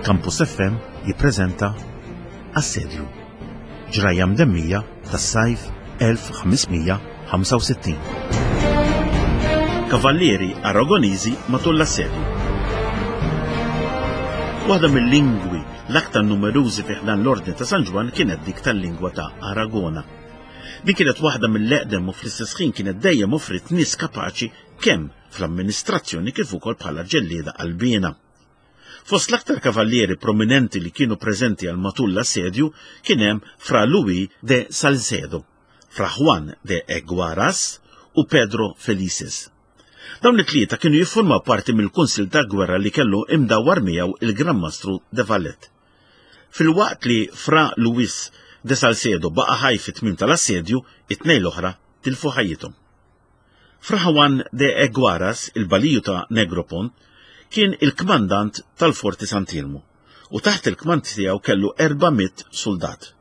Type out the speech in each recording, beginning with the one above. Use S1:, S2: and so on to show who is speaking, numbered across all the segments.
S1: Campus FM jippreżenta Assedju. Ġrajja mdemmija tas-sajf 1565. Kavallieri Aragoniżi matul l-assedju. Waħda mill-lingwi l-aktar numerużi fi ħdan l-Ordni ta' San Ġwann kienet dik tal-lingwa ta' Aragona. Din kienet waħda mill-eqdem u fl-istess ħin kienet dejjem offriet nies kapaċi kemm fl-amministrazzjoni kif ukoll bħala ġellieda qalbiena. Fost l-aktar kavallieri prominenti li kienu preżenti għal matul l-assedju kien hemm Fra Luis de Salcedo, Fra Juan de Eguaras u Pedro Felices. Dawn it-tlieta kienu jiffurmaw parti mill-kunsill ta' gwerra li kellu imdawwar miegħu il-Gran Mastru de Valette. Filwaqt li Fra Luis de Salcedo baqa' ħaj fit-tmiem tal-assedju, it-tnejn l-oħra tilfu ħajjithom. Fra Juan de Eguaras, il-baliju ta' Negropont, kien il-kmandant tal-Forti Sant'Iermu u taħt il-kmand tiegħu kellu 400 suldat.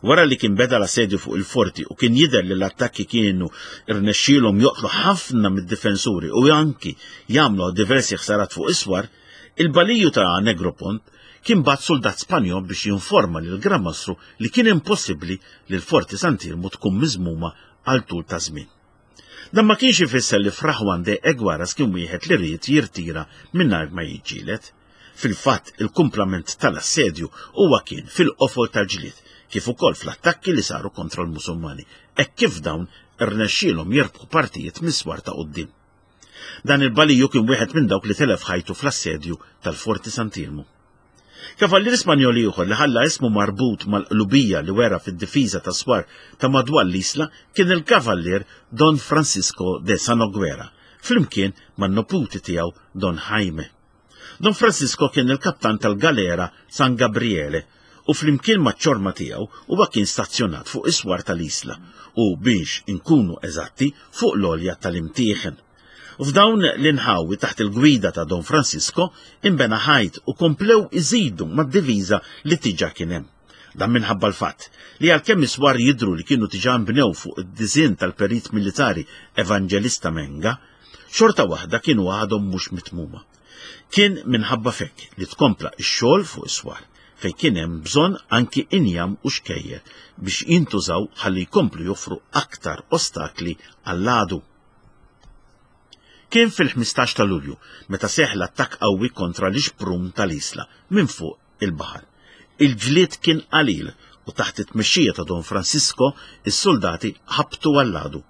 S1: Wara li kien beda l-assedju fuq il-forti u kien jidher li l-attakki kienu rnexxielhom joqtlu ħafna mid-difensuri u anki jagħmlu diversi ħsarat fuq is-swar, il-baliju ta' Negropont kien bagħat suldat Spanjol biex jinforma lill-Gran Mastru li kien impossibbli li l-Forti Sant'Iermu tkun miżmuma għal tul ta' żmien. Dan ma kienx ifisser li Fra Juan de Eguaras kien wieħed li ried jirtira mingħajr ma jiġġieled. Fil-fatt, il-kumplament tal-assedju huwa kien fil-qofol tal-ġlied, kif ukoll fl-attakki li saru kontra l-Musulmani, hekk kif dawn irnexxielhom jirbħu partijiet mis-swar ta' quddiem. Dan il-baliju kien wieħed minn dawk li telef ħajtu fl-assedju tal-Forti Sant'Iermu. Kavallier Spanjol ieħor li ħalla ismu marbut mal-qlubija li wera fid-difiża tas-swar ta' madwar l-Isla kien il-Kavallier Don Francisco de Sanoguera, flimkien man-neputi tiegħu Don Jaime. Don Francisco kien il-kaptan tal-galera San Gabriele u flimkien maċ-ċorma tiegħu huwa kien stazzjonat fuq is-swar tal-Isla u biex inkunu eżatti fuq l-għolja tal-Imtieħen. F'dawn l-inħawi taħt il-gwida ta' Don Francisco inbena ħajt u komplew iżidu mad-diviża li tiġa kien hemm. Dan minħabba l-fatt li għalkemm is-swar jidhru li kienu tiġa nbnew fuq id-disinn tal-perit militari Evangelista Menga, xorta waħda kienu għadhom mhux mitmuma. Kien minħabba f'hekk li tkompla x-xogħol fuq is-swar, fejn kien hemm bżonn anki injam u xkejjer biex jintużaw ħalli jkomplu joffru aktar ostakli għall-għadu. Kien fil-15 ta' Lulju meta seħħ l-attakk qawwi kontra l-ixprun tal-Isla minn fuq il-baħar. Il-ġlied kien qalil u taħt it-tmexxija ta' Don Francisco is-suldati ħabtu għall-għadu.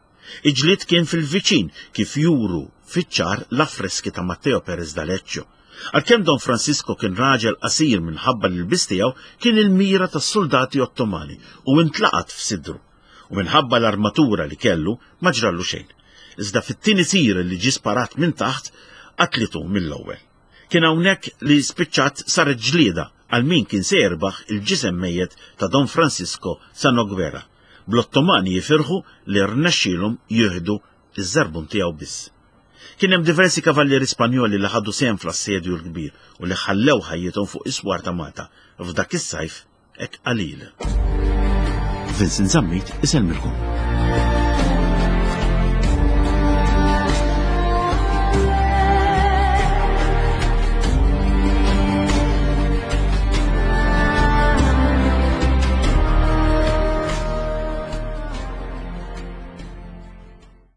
S1: Il-ġlied kien fil-viċin kif juru fiċ-ċar l-affreski ta' Matteo Perez d'Aleccio. Għalkemm Don Francisco kien raġel qasir minħabba l-ilbies tiegħu kien il-mira tas-suldati Ottomani u intlaqat f'sidru. U minħabba l-armatura li kellu ma ġrallu xejn. Iżda fit-tieni tir li ġie sparat minn taħt, qatlitu mill-ewwel. Kien hawnhekk li spiċċat saret ġlieda għal min kien se jirbaħ il-ġisem mejjet ta' Don Francisco Sanoguera, bl-Ottomani jifirħu li rnexxielhom jieħdu ż-żarbun tiegħu biss. Kien hemm diversi kavallieri Spanjoli li ħadu sehem fl-Assedju l-Kbir u li ħallew ħajjithom fuq is-swar ta' Malta f'dak is-sajf hekk qalil. Vincent Zammit isellmilkom.